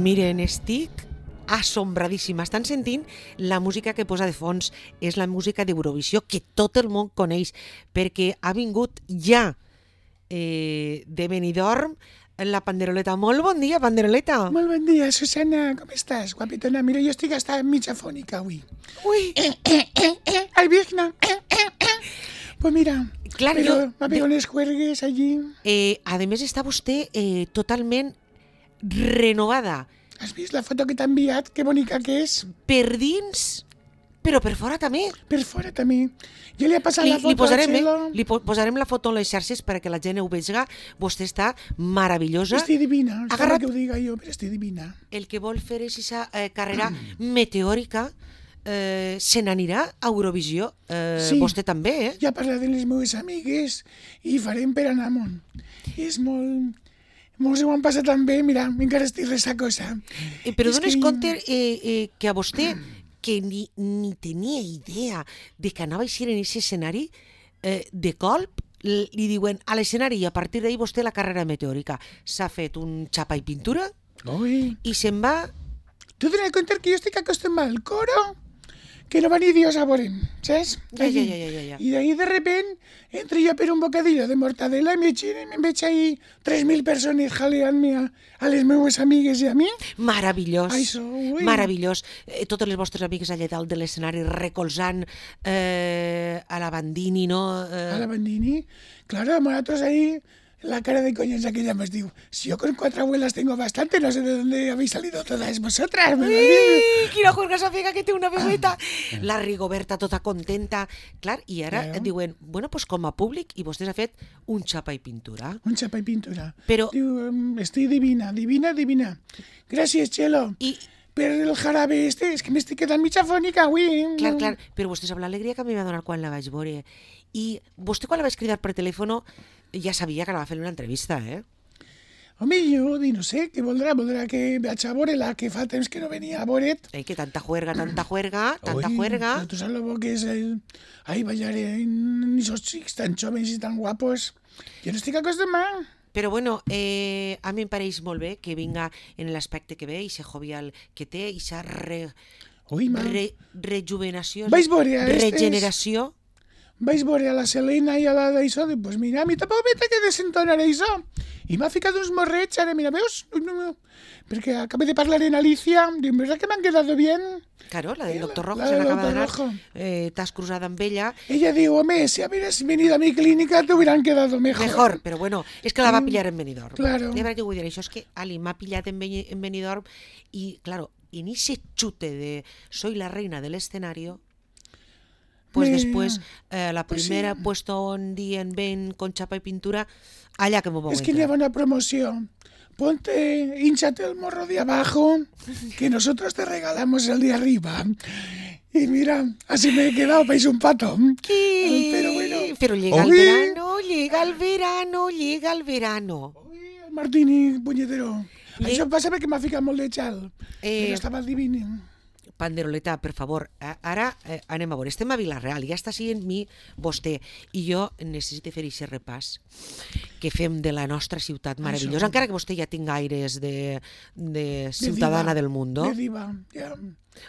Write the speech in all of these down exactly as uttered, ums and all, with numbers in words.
Miren, estic assombradíssima. Estan sentint la música que posa de fons. És la música d'Eurovisió que tot el món coneix, perquè ha vingut ja eh, de Benidorm la Panderoleta. Molt bon dia, Panderoleta. Molt bon dia, Susana. Com estàs, guapetona? Mira, jo estic hasta mitja fònica avui. Ui. Eh, eh, eh, eh, al Virna. Eh, eh, eh. Pues mira, Clar, però jo- va haver unes juergues allí. Eh, a més, està vostè eh, totalment renovada. Has vist la foto que t'ha enviat? Que bonica que és. Per dins, però per fora també. Per fora també. Jo li he passat Li, la foto li, posarem, al eh? Txelo. li po posarem la foto en les xarxes perquè la gent ho vegi. Vostè està meravellosa. Estic divina. Ha Sembla agarrat- que ho diga jo, però estic divina. El que vol fer és aquesta eh, carrera meteòrica. Eh, se n'anirà a Eurovisió. Eh, Sí. Vostè també, eh? Ja he parlat amb les meves amigues i farem per anar amunt. És molt... Molts ho han passat tan bé, mira, encara estic ressacosa. Eh, però És dones que- compte eh, eh, que a vostè, que ni, ni tenia idea de que anava a eixir en aquest escenari, eh, de colp l- li diuen a l'escenari i a partir d'ahir vostè la carrera meteòrica. S'ha fet un xapa i pintura Ui, i se'n va... tu t'has de compte que jo estic acostumat al coro, que no va ni Dios a veure'm, saps? Ja, ja, ja, ja, ja, ja. I d'ahí de repent entro jo per un bocadillo de mortadela i me giren i em veig ahí tres mil persones jaleant-me a, a les meves amigues i a mi. Meravellós, Això, ui. meravellós. Eh, totes les vostres amigues allà dalt de l'escenari recolzant eh, a la Bandini, no? Eh, A la Bandini. Claro, nosotros ahí, la cara de coñas aquella nos diu, si yo con cuatro abuelas tengo bastante, no sé de dónde habéis salido todas vosotras. me lo diu. Ui, quina juerga s'afega que té una bebeta. La Rigoberta tota contenta. Clar, i ara Claro. diuen, bueno, pues com a públic, i vostès ha fet un xapa i pintura. Un chapa y pintura. Però- Diu, em, estoy divina, divina, divina. Gracias, Chelo. I, Per el jarabe este, és que m'estic quedant mitja fònica avui. clar, clar, però vostè sap l'alegria que a mi m'ha donat quan la vaig veure. I vostè quan la vaig cridar per telèfon ja sabia que anava a fer una entrevista, eh? Home, jo di, no sé, què voldrà? Voldrà que vaig a veure-la, que fa temps que no venia a veure't. Eh, que tanta juerga, tanta juerga, tanta Ui, juerga. pero tú sabes lo que es el... Ahí bailar en esos chicos tan jóvenes y tan guapos. Yo no estic acostumat. Però bueno, eh, a mi em pareix molt bé que vinga en l'aspecte que ve, i ser jovial que té, i sa re, Ui, ma, re, rejuvenació, Vais veure a estes? regeneració. vais veure a la Selena i a la d'això, dic, pues mira, a mi tampoc me té que desentonar això. I m'ha ficat uns morrets, ara, mira, veus? Ui, no, no. Perquè acabo de parlar en Alicia, dic, ¿verdad que me han quedado bien? Claro, la del La- doctor Rojo la se del n'acaba doctor d'anar. Rojo. Eh, T'has cruzat amb ella. Ella diu, home, si hubieras venido a mi clínica te hubieran quedado mejor. Mejor, però bueno, és que la va pillar en Benidorm. claro. I a veure què vull dir, això és que Ali m'ha pillat en, Beni- en Benidorm i, claro, en ese chute de soy la reina del escenario, pues Me- después eh, la pues primera sí. puesto un día en Ben con chapa y pintura, allá que me voy a Es que lleva una promoción. Ponte, hinchate el morro de abajo, que nosotros te regalamos el de arriba. Y mira, así me he quedado, país un pato. Pero bueno. Pero llega el Uy. verano, llega el verano, llega el verano. Ui, el Martini, punyetero. Le- Això passa perquè m'ha ficat molt de xal. Eh, Però estava divini. Panderoleta, per favor, a- ara eh, anem a veure. Estem a Vila-real, ja està sent mi vostè, i jo necessito fer aquest repàs que fem de la nostra ciutat meravellosa, Això. encara que vostè ja tinga aires de, de ciutadana diva, del mundo. De diva, ja.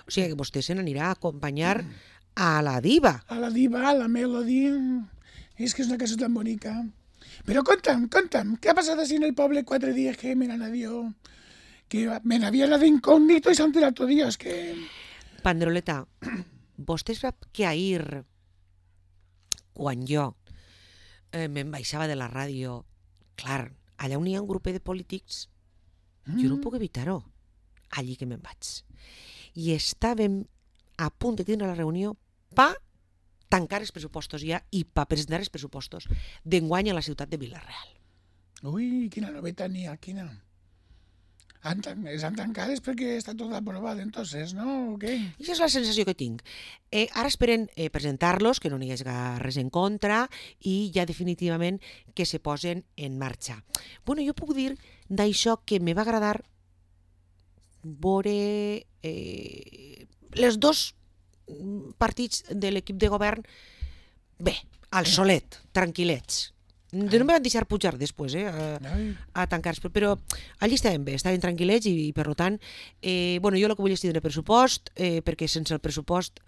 O sigui que vostè se n'anirà a acompanyar a la diva. A la diva, a la melody. És que és una cançó tan bonica. Però conta'm, conta'm, què ha passat així en el poble quatre dies que me n'anadió? Que me n'havia anat incògnito i s'han tirat tot dies, que... Panderoleta, vostè sap que ahir, quan jo eh, me'n baixava de la ràdio, clar, allà on hi ha un grup de polítics, jo no puc evitar-ho, allí que me'n vaig. I estàvem a punt de tindre la reunió pa tancar els pressupostos ja i pa presentar els pressupostos d'enguany a la ciutat de Vila-real. Ui, quina novetat n'hi ha, quina. Han, tan- estan tancades perquè està tot aprovat, entonces, no? O què? I això és la sensació que tinc. Eh, ara esperen eh, presentar-los, que no n'hi hagi res en contra, i ja definitivament que se posen en marxa. Bueno, jo puc dir d'això que me va agradar veure eh, les dos partits de l'equip de govern bé, al solet, tranquil·lets. No me van deixar pujar després, eh, a, a tancar, però allí estàvem bé, estàvem tranquil·lets i, i per tant, eh, bueno, jo el que vull és tindre pressupost, eh, perquè sense el pressupost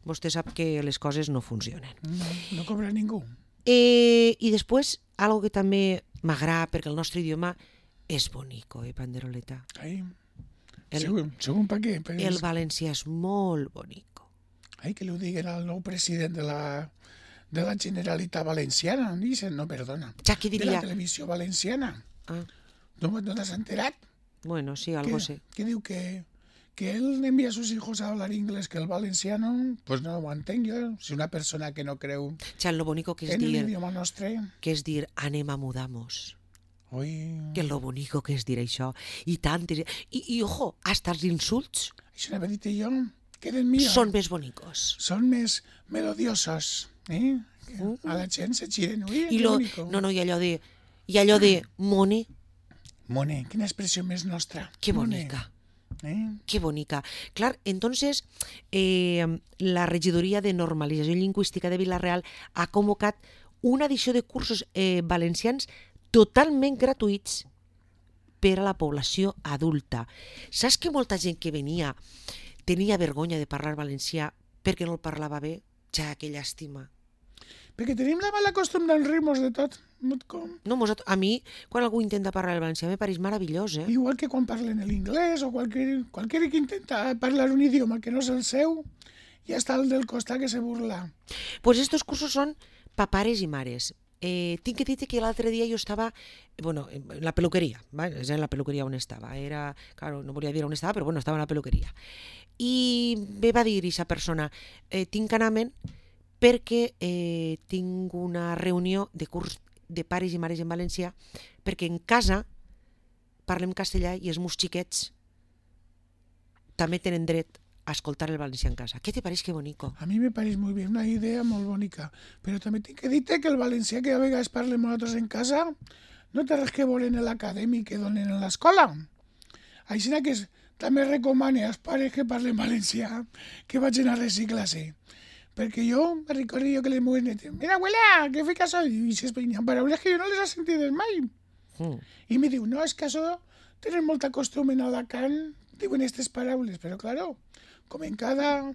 vostè sap que les coses no funcionen. No, no cobra ningú. Eh, I després, algo que també m'agrada, perquè el nostre idioma és bonico, eh, Panderoleta. Ai, El, segur, segur per què? Per el valencià és molt bonico. Ai, que li ho diguen al nou president de la, de la Generalitat Valenciana. Dicen, no, perdona. Ja, qui De diria? la televisió valenciana. Ah, No, no t'has enterat? bueno, sí, algo sé. Que diu que, que él envía a sus hijos a hablar inglés, que el valenciano, pues no ho entenc jo. Si una persona que no creu Ja, lo bonico que és en dir, l'idioma nostre... que és dir, anem a mudamos. Ui, Que lo bonico que és dir això. I tantes... I, i ojo, hasta els insults això n'havia dit jo, queden millor. són més bonicos. Són més melodiosos, eh? Que a la gent se giren. Ui, I que lo, bonico. no, no, i allò de... I allò de mone, Mone, quina expressió més nostra. que Mone, bonica. Eh? Qué bonica. Clar, entonces, eh, la regidoria de normalització lingüística de Vila-real ha convocat una edició de cursos eh, valencians totalment gratuïts per a la població adulta. Saps que molta gent que venia tenia vergonya de parlar valencià perquè no el parlava bé? Ja, que llàstima. Perquè tenim la mala costum d'enrir-nos de tot. Not com. No, mos, a mi, quan algú intenta parlar el valencià, me pareix meravellós, eh? Igual que quan parlen l'inglès o qualsevol, qualsevol que intenta parlar un idioma que no és el seu, ja està el del costat que se burla. Pues estos cursos són pa pares i mares. Eh, tinc que dir que l'altre dia jo estava, bueno, en la peluqueria, ¿vale? És en la peluqueria on estava. Era, claro, no volia dir on estava, però bueno, estava en la peluqueria. I me va dir aquesta persona, eh, tinc que anar-me'n perquè eh, tinc una reunió de curs de pares i mares en valencià, perquè en casa parlem castellà i els meus xiquets també tenen dret a escoltar el valencià en casa. Què te pareix que bonico? A mi me pareix molt bé, una idea molt bonica. Però també tinc que dir-te que el valencià que a vegades parlem nosaltres en casa no té res que veure en l'acadèmic que donen a l'escola. Així que es, també recomane als pares que parlen valencià que vagin a reciclar-se. Perquè jo me recordo jo que les meves netes, mira, abuela, ¿qué fica soy? Y se espeñan paraules que jo no les he sentido mai. Mm. I me diu, no, és que això tenen molta costum en Alacant, diuen aquestes paraules, però claro, com en cada,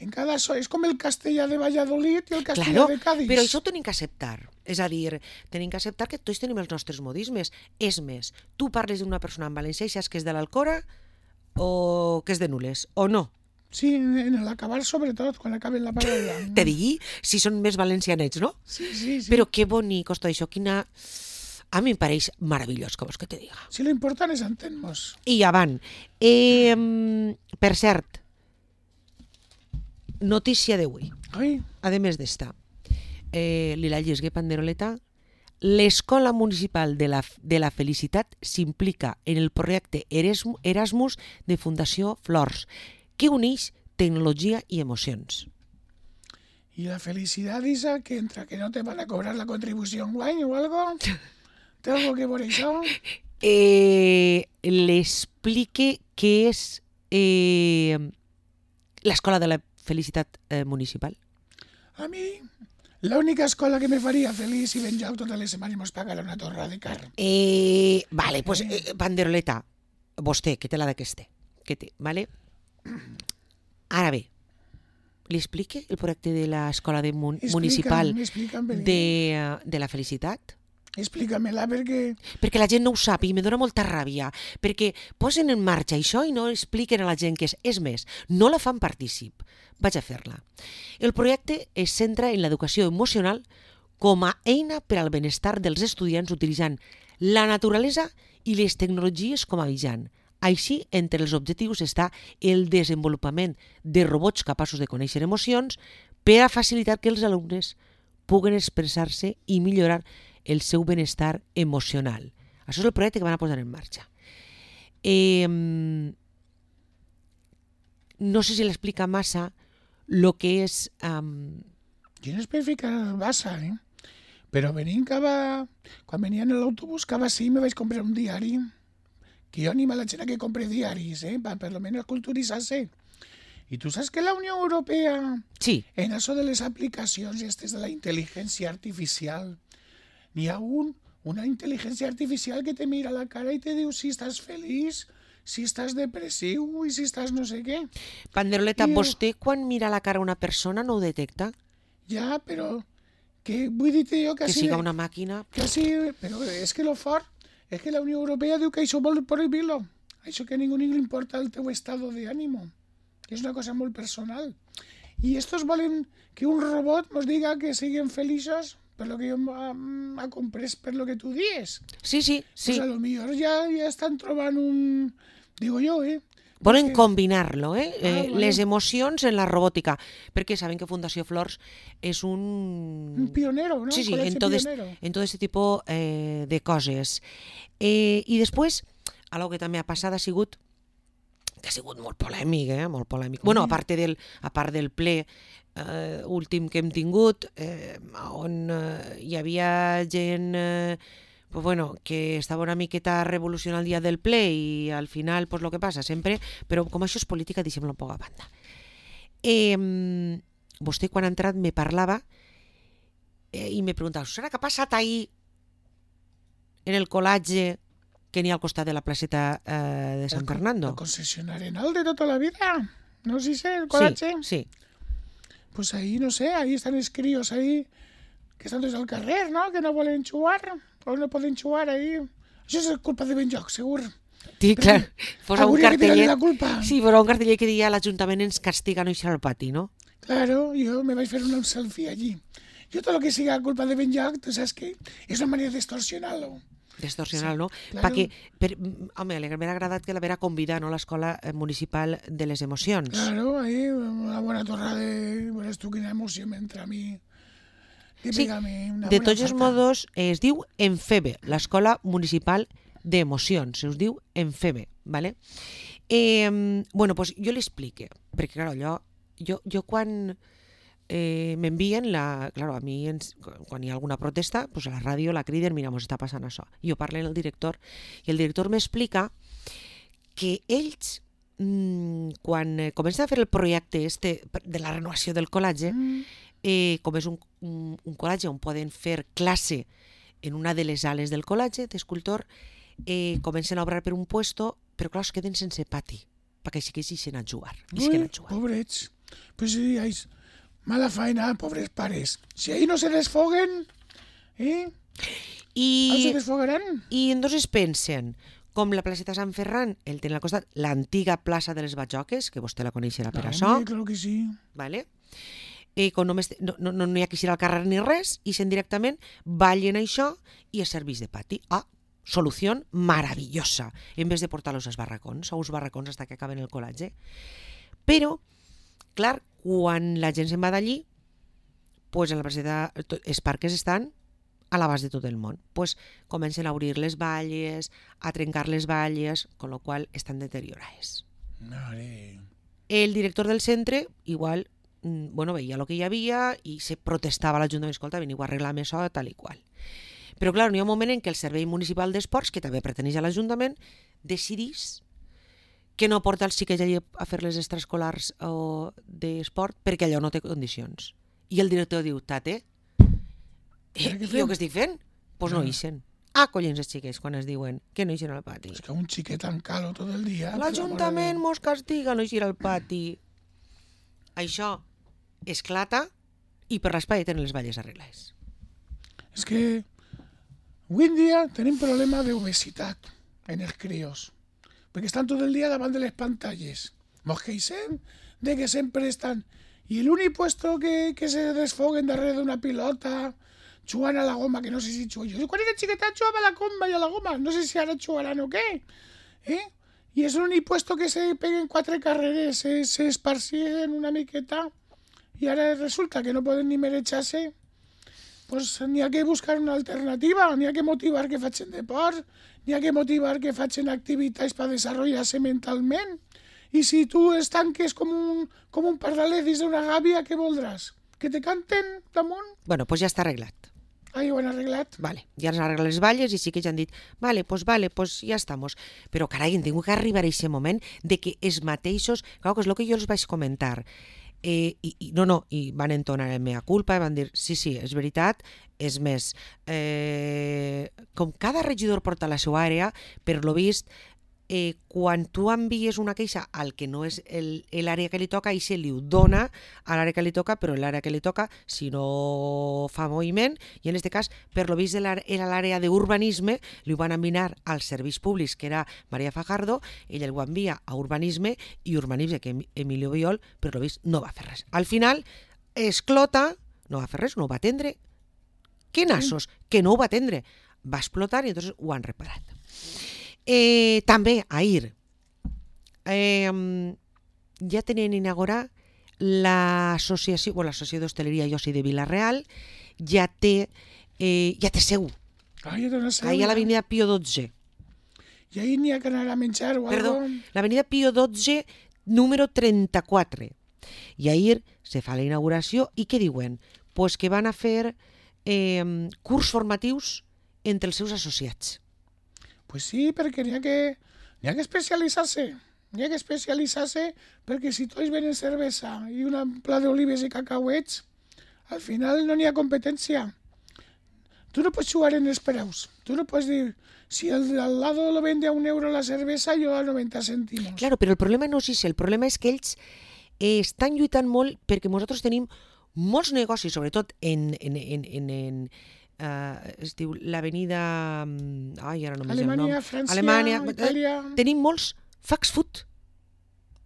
en cada so, és com el castellà de Valladolid i el castellà Claro, de Cádiz. però això ho tenim que acceptar. És a dir, tenim que acceptar que tots tenim els nostres modismes. És més, tu parles d'una persona en valencià i saps que és de l'Alcora o que és de Nules, o no? Sí, en l'acabar sobretot, quan acaben la paraula. Te digui si són més valencianets, no? Sí, sí, sí. Però que bonic tot això, quina... A mi em pareix meravellós, com vols que te diga. Sí, lo important és entendre-nos. I avant. Eh, per cert, notícia d'avui. Ai, A més d'esta, eh, li la llesgué Panderoleta, l'Escola Municipal de la, de la Felicitat s'implica en el projecte Eresmu- Erasmus de Fundació Flors, que uneix tecnologia i emocions. y la felicidad esa que entra, que no te van a cobrar la contribución guay o algo. ¿Té algo que por això? Eh, l'explique què és eh, l'Escola de la Felicitat eh, Municipal. A mi, la única escola que me faria feliç si ben jo totes les setmanes mos pagara una torra de carn. Eh, vale, pues eh, Panderoleta, vostè, que té la d'aqueste, que té, vale? Ara bé, li explique el projecte de l'Escola de mun Explica'm, Municipal explica'm, perquè- de, de la Felicitat? Explícamela perquè... Perquè la gent no ho sap i me dóna molta ràbia, perquè posen en marxa això i no expliquen a la gent què és. És més, no la fan partícip. Vaig a fer-la. El projecte es centra en l'educació emocional com a eina per al benestar dels estudiants utilitzant la naturalesa i les tecnologies com a mitjan. Així, entre els objectius està el desenvolupament de robots capaços de conèixer emocions per a facilitar que els alumnes puguen expressar-se i millorar el seu benestar emocional. Això és el projecte que van a posar en marxa. Eh, no sé si l'explica massa el que és... Um... Jo no especificar el Bassa, eh? Però venint cada... Quan venia en l'autobús, cada sí me vaig comprar un diari. Que jo animo a la gent a que compre diaris, eh? Per, per lo menos culturitzar-se. I tu saps que la Unió Europea, Sí, en això de les aplicacions i aquestes de la intel·ligència artificial, n'hi ha un, una intel·ligència artificial que te mira a la cara i te diu si estàs feliç, si estàs depressiu i si estàs no sé què. Panderoleta, I, eh, vostè quan mira a la cara a una persona no ho detecta? Ja, però que vull dir-te jo que, Que així, siga una màquina? que així, però és que lo fort és que la Unió Europea diu que això vol prohibir-lo. Això que a ningú li importa el teu estado de ánimo. És una cosa molt personal. I estos volen que un robot nos diga que siguen feliços per lo que jo m'ha comprès per lo que tu dies. Sí, sí, sí. Pues a lo millor ja, ja estan trobant un... Digo jo, eh? Volen Perquè- combinar-lo, eh? Ah, eh vale. les emocions en la robòtica, perquè saben que Fundació Flors és un... Un pionero, ¿no? Sí, sí, Un en col·legi tot, pionero. en tot este tipus eh, de coses. Eh, I després, algo que també ha passat ha sigut que ha sigut molt polèmic, eh? Molt polèmic. Bueno, a part del, a part del ple eh, últim que hem tingut, eh, on eh, hi havia gent eh, pues bueno, que estava una miqueta revolucionant el dia del ple i al final, pues lo que passa sempre, però com això és política, deixem-lo un poc a banda. Eh, vostè quan ha entrat me parlava eh, i me preguntava, Susana, què ha passat ahir en el col·latge que n'hi ha al costat de la placeta eh, de Sant Fernando? El concessionari Arenal de tota la vida. No sé si el col·latge. Sí, sí. Pues ahí, no sé, ahí están los críos ahí que están desde el carrer, ¿no? Que no volen jugar, o no poden jugar ahí. Això és culpa de Benjoc, segur. Sí, clar, posa un Hauria que tirar-li cartellet. la culpa. Sí, posa un cartellet que diria l'Ajuntament ens castiga no eixir al pati, no? Claro, yo me vaig fer un selfie allí. Yo todo lo que siga culpa de Benjoc, tú sabes que es una manera de extorsionarlo. Distorsional, no? claro. Perquè, per, home, m'ha agradat que l'haver convidat, no?, l'Escola Municipal de les Emocions. Claro, ahí una buena torra de... Verás tú quina emoció m'entra a mi. Que Sí, pega-me una de bona tots els falta. modos, eh, es diu Enfebe, l'Escola Municipal d'Emocions, se us diu Enfebe, ¿vale? Eh, bueno, pues jo l'explique, perquè, clar, allò, jo, jo quan eh, m'envien, la, claro, a mi, ens, quan hi ha alguna protesta, pues a la ràdio la criden, mira, mos està passant això. Jo parlo amb el director, i el director m'explica que ells, mmm, quan eh, comencen a fer el projecte este de la renovació del col·latge, Mm. eh, com és un, un, un col·latge on poden fer classe en una de les ales del col·latge d'escultor, eh, comencen a obrar per un puesto, però clar, es queden sense pati, perquè sí que ixen a jugar. Ixen Ui, a jugar. pobrets. Pues sí, hay mala faena, pobres pares. Si ahí no se desfoguen, ¿eh? ¿No se I, desfogarán? I entonces pensen, com la placeta Sant Ferran, el tenen al costat, l'antiga plaça de les Batjoques, que vostè la coneixerà per No, això, hombre, claro que sí. ¿vale? Eh, com només, no, no, no hi ha que eixir al carrer ni res, ixen directament, ballen això i es serveix de pati. Ah, solució maravillosa, en vez de portar-los als barracons, a uns barracons fins que acaben el col·latge. Però, clar, quan la gent se'n va d'allí, pues en la placeta, els parques estan a l'abast de tot el món. Pues comencen a obrir les valles, a trencar les valles, con lo qual estan deteriorades. Mare. El director del centre, igual, mm, bueno, veia el que hi havia i se protestava a l'Ajuntament, escolta, veniu a arreglar això, tal i qual. Però, clar, n'hi ha un moment en què el Servei Municipal d'Esports, que també perteneix a l'Ajuntament, decidís que no porta els xiquets allà a fer les extraescolars o d'esport perquè allò no té condicions. I el director diu, tate, eh, Però què jo fem? què estic fent? Doncs pues no Ah. ixen. Ah, collons els xiquets, quan es diuen que no ixen al pati. Es que un chiquet tan calo todo el día. por L'Ajuntament amor mos castiga no eixir al pati. Això esclata i per l'espai tenen les valles arreglades. de Déu. Es que hoy en día tienen problema de obesidad en els críos. Porque están todo el día davant de les pantalles. Mos queixem de que sempre estan... I l'únic puesto que, que se desfoguen darrere d'una pilota, jugant a la goma, que no sé si jugo. Jo quan era xiqueta jugava a la comba i a la goma, no sé si ara jugaran o què. Eh? I és l'únic puesto que se peguen quatre carreres, se, se esparcien una miqueta, i ara resulta que no poden ni mereixar-se. Pues n'hi ha que buscar una alternativa, n'hi ha que motivar que facin deport, n'hi ha que motivar que facin activitats per desenvolupar-se mentalment. I si tu estanques com un, com un pardalet dins d'una gàbia, què voldràs? Que te canten damunt? Bueno, doncs pues ja està arreglat. Ah, ja ho han arreglat. Vale, ja ens arreglat les valles i sí que ja han dit, vale, pues vale, pues ja estamos. Però carai, hem tingut que arribar a aquest moment de que els mateixos, clar que és el que jo els vaig comentar, Eh, i, i, no, no, i van entonar el mea culpa i van dir, sí, sí, és veritat, és més, eh, com cada regidor porta la seva àrea, per lo vist, eh, quan tu envies una queixa al que no és el- l'àrea que li toca, i se li ho dona a l'àrea que li toca, però l'àrea que li toca, si no fa moviment, i en aquest cas, per lo vist era l'àrea d'urbanisme, li ho van enviar als serveis públics, que era Maria Fajardo, ella ho envia a urbanisme, i urbanisme, que Emilio Biol, per lo vist, no va fer res. Al final, esclota, no va fer res, no ho va atendre. Que nassos, que no ho va atendre. Va explotar i entonces ho han reparat. Eh, també, ahir, eh, ja tenen inaugurar l'associació, bueno, l'associació d'hostaleria i oci de Vila-real, ja té, eh, ja té seu, Ah, ja té una seu. ahir a ja. l'avenida Pío dotze. I ahir n'hi ha que anar a menjar o Perdó, algo. l'avenida Pío dotze, número trenta-quatre. I ahir se fa la inauguració i què diuen? Pues que van a fer eh, curs formatius entre els seus associats. Pues sí, perquè n'hi ha que, n'hi ha que especialitzar-se. N'hi ha que especialitzar-se perquè si tots venen cervesa i un pla d'olives i cacauets, al final no n'hi ha competència. Tu no pots jugar en els preus. Tu no pots dir, si el de al lado lo vende a un euro la cervesa, jo a noventa cèntimos. Claro, però el problema no és això, el problema és que ells eh, estan lluitant molt perquè nosaltres tenim molts negocis, sobretot en, en, en, en, en uh, es diu l'avenida... Ai, ara no m'és el nom. Alemanya, França, Alemanya, Itàlia... eh, tenim molts fast food.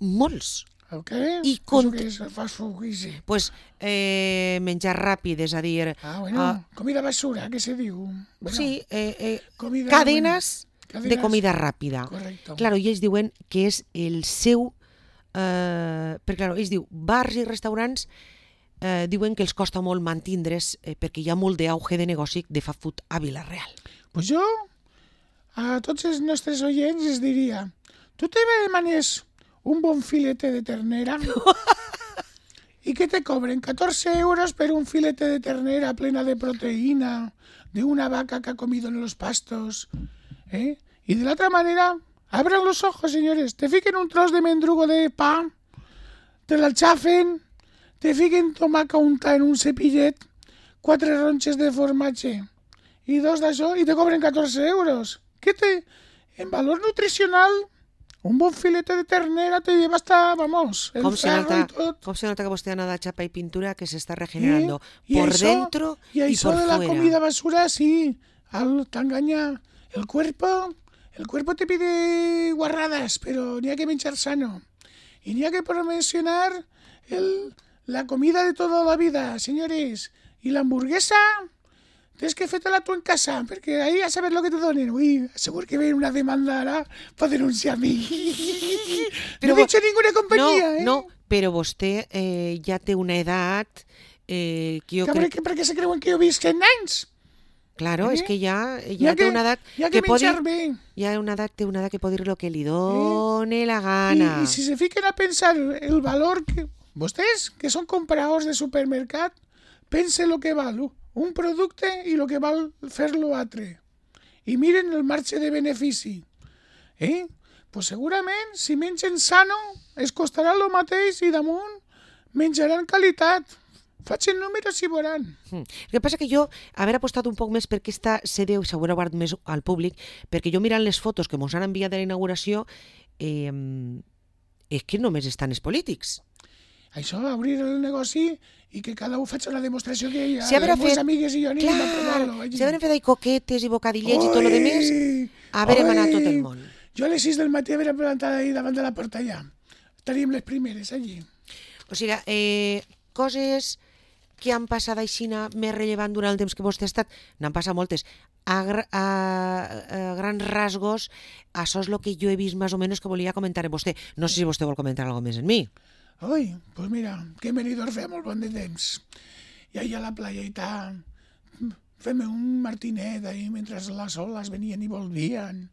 Molts. El què? I Això cont- què és? El fast food, què és? Pues, eh, menjar ràpid, és a dir... Ah, bueno, Ah. comida basura, què se diu? Bueno, Sí, eh, eh, comida, cadenes bueno, de cadenes- comida ràpida. Correcto. Claro, i ells diuen que és el seu... Eh, perquè, claro, ells diu, bars i restaurants eh, diuen que els costa molt mantindre's eh, perquè hi ha molt d'auge de negoci de fast food a Vila-real. Pues jo, a tots els nostres oients, els diria, tu te demanes un bon filete de ternera i que te cobren catorze euros per un filete de ternera plena de proteína de una vaca que ha comido en los pastos, ¿eh? Y de la otra manera, abran los ojos, señores, te fiquen un tros de mendrugo de pa, te la chafen, te fiquen tomaca unta en un cepillet, quatre ronches de formatge i dos d'això i te cobren catorze euros. Què té? En valor nutricional, un bon filete de ternera te lleva hasta, vamos, el Com se, ferro nota, i tot. com se nota que vostè ha anat a chapa i pintura que se está regenerando Y por eso- dentro y y, eso por de la fuera. comida basura, sí, al- te engaña el cuerpo. El cuerpo te pide guarradas, pero ni hay que menjar sano. Y ni hay que promocionar el, la comida de toda la vida, señores. Y la hamburguesa, tienes que fer-te-la tu en casa, perquè ahí a saber lo que te donen. Uy, segur que ven una demanda ara para denunciar a mi. Però no he vo- dicho ninguna compañía, no, eh? no, però vostè eh, ja té una edat eh, que jo Que crec... perquè, perquè se creuen que jo visc en anys. Claro, Eh? és que ja, Hi ja ha té que, una edat hi ha que, pot dir, menjar bé. ja una edat, té una edat que pot dir lo que li done la gana. Y, y si se fiquen a pensar el valor que... Vostès, que són compradors de supermercat, pensen lo que val un producte i lo que val fer-lo altre. I miren el marge de benefici. Eh? Pues segurament, si mengen sano, es costarà el mateix i damunt menjaran qualitat. Facin números i veuran. Mm. El que passa que jo haver apostat un poc més per aquesta sede, s'haurà guardat més al públic, perquè jo mirant les fotos que mos han enviat de la inauguració, eh, és que només estan els polítics. Això, obrir el negoci i que cada un faci una demostració que hi ha Si haver les meves fet- amigues i jo anem a provar-lo. Clar, allí. si haver fet ahí coquetes i bocadillets i tot lo demés, Ui, haver ui. anat tot el món. Jo a les sis del matí haver plantat ahí davant de la porta allà. Estaríem les primeres allí. O sigui, eh, coses que han passat aixina més rellevant durant el temps que vostè ha estat, n'han passat moltes. A, gra- a, a grans rasgos, això és el que jo he vist més o menys que volia comentar amb vostè. No sé si vostè vol comentar alguna més en mi. Ui, pues mira, que Benidorm feia molt bon de temps. I allà a la playa i tal, fem un martinet ahí mentre les oles venien i volvien.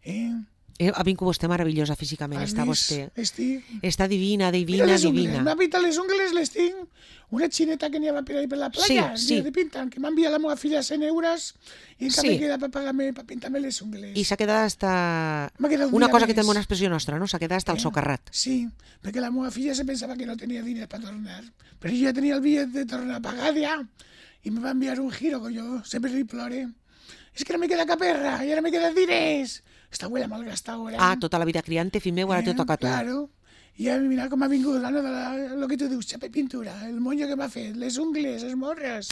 Eh? Ha vingut vostè meravellosa físicament, Has està vist? vostè. Estic... Està divina, Mira divina, les ungles, divina. m'ha pintat les ungles, les tinc. Una xineta que n'hi havia per ahí per la playa, Sí, sí. de pintar, que m'ha enviat la meva filla cent euros i encara Sí. me queda per pagar-me, per pintar-me les ungles. I s'ha quedat hasta... M'ha quedat un Una dia cosa que més. té una expressió nostra, no? S'ha quedat hasta el Eh? socarrat. Sí, perquè la meva filla se pensava que no tenia diners per tornar. Però jo ja tenia el bitllet de tornar pagat ja i me va enviar un giro, que jo sempre li plore. És que no me queda caperra i ara me queden diners. Esta abuela malgasta ahora. Ah, tota la vida criant, fill meu, ara te toca a tu. Claro. I ja mira com ha vingut, Anna, de la, lo que tu dius, xapa i pintura, el moño que m'ha fet, les ungles, les morres.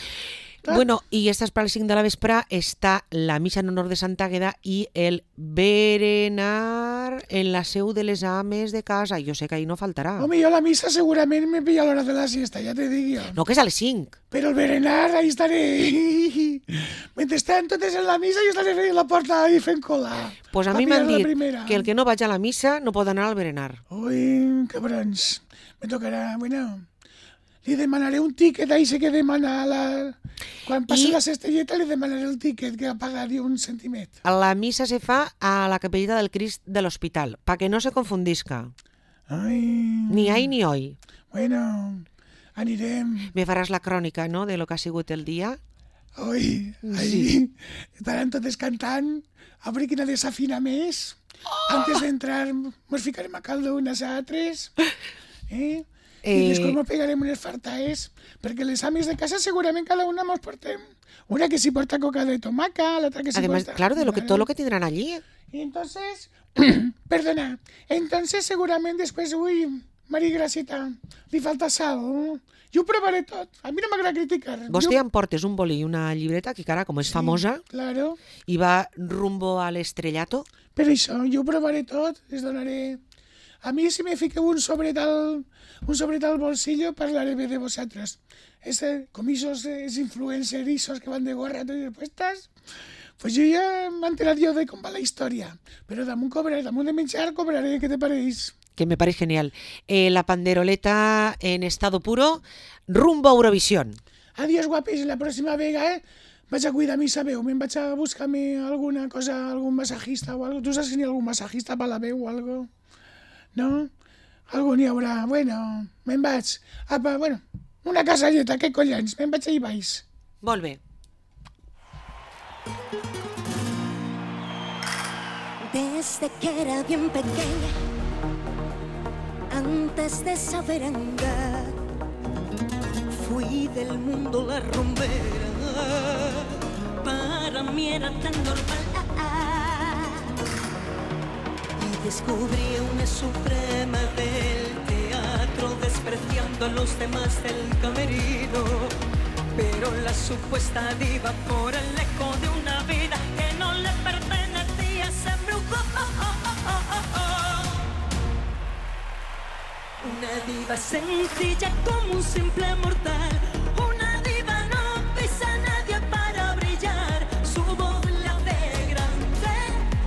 Tot. Bueno, i estas para el cinc de la vespre està la missa en honor de Santa Àgueda i el berenar en la seu de les ames de casa. Jo sé que ahí no faltarà. Home, jo a la missa segurament me pilla a l'hora de la siesta, ja te dic jo. No, que és a les cinc. Però el berenar, ahí estaré. Mentrestant, totes en la missa, jo estaré fent la porta ahí fent cola. Pues a Pa mi m'han pillar la dit primera. que el que no vaig a la missa no pot anar al berenar. Ui, cabrons. Me tocarà, bueno... Li demanaré un tiquet, ahí sé que demana la... Quan passi I- la cestelleta li demanaré el tiquet, que pagaria un centimet. La missa se fa a la capellita del Crist de l'hospital, pa que no se confundisca. Ai... Ni ahí ni hoy. Bueno, anirem. Me faràs la crònica, no?, de lo que ha sigut el dia. Ui, ahí Sí. estaran totes cantant, a veure quina desafina més. Antes d'entrar mos ficarem a caldo unes a altres. Eh? I Eh, després mos pegarem unes fartaes, perquè les ames de casa segurament cada una mos portem. Una que s'hi porta coca de tomaca, l'altra que s'hi Además, porta... claro, de lo que todo lo que tendrán allí. Y entonces, perdona, entonces segurament després, ui, Maria Gracita, li falta sal. Jo ho provaré tot, a mi no m'agrada criticar. Vostè Jo- em portes un boli i una llibreta, que cara, com és famosa, Claro, i va rumbo a l'estrellato. per això, jo ho provaré tot, les donaré... A mi si me fiqueu un sobret al, un sobret al bolsillo parlaré bé de vosaltres. Ese, com esos, es influencerizos que van de gorra totes puestas, pues jo ja m'he enterat jo de com va la història. Però damunt cobraré, damunt de menjar cobraré, què te pareix? Que me parece genial. Eh, la panderoleta en estado puro, rumbo a Eurovisión. Adiós, guapis, la pròxima vegada eh, vaig a cuidar mi sa veu, me'n vaig a buscar-me alguna cosa, algun massajista o algo. Tu saps si n'hi ha algun massajista per la veu o algo? No? Algú n'hi haurà. Bueno, me'n vaig. Apa, bueno, una casalleta, què collons? Me'n vaig ahí baix. Molt bé. Desde que era bien pequeña, antes de saber andar, fui del mundo la rumbera. Para mí era tan normal. Y descubrí una suprema del teatro, despreciando a los demás del camerino. Pero la supuesta diva, por el eco de una vida que no le pertenecía, se embrujó. Una diva sencilla como un simple mortal. Una diva no pisa a nadie para brillar. Su voz la hace grande.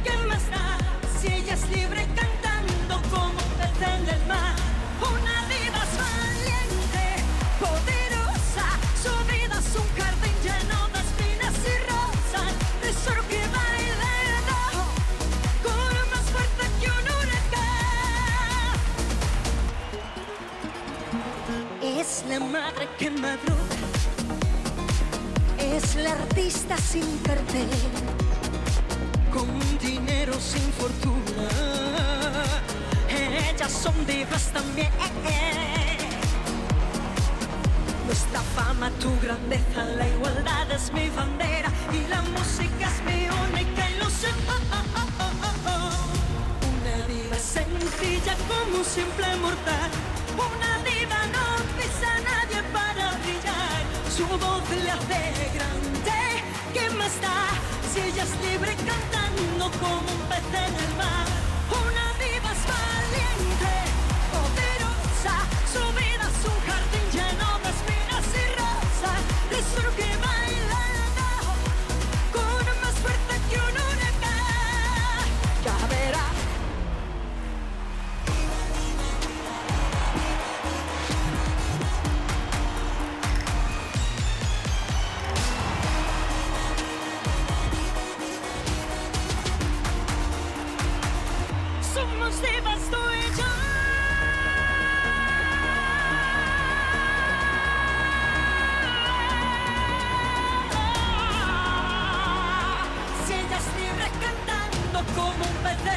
¿Qué más da si ella es libre cantando como un pez en el mar? Una diva es valiente, poderosa. Su vida es un jardín lleno de espinas y rosas. Tesoro que baila debajo, corre más fuerte que un huracán. Es la madre que madruga, es la artista sin cartel, con dinero sin fortuna. Ellas son divas también. Nuestra fama, tu grandeza, la igualdad es mi bandera y la música es mi única ilusión. Una diva sencilla como un simple mortal. Una diva no pisa a nadie para brillar. Su voz le hace grande. ¿Qué más da si ella es libre cantando como un pez en el mar? Una diva es valiente, poderosa. Su vida es un jardín lleno de espinas y rosas. Tesoro que baila debajo, corre más fuerte que un huracán. Ya verás.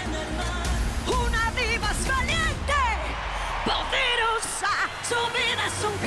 en el mar. Una diva es valiente, poderosa, su vida es un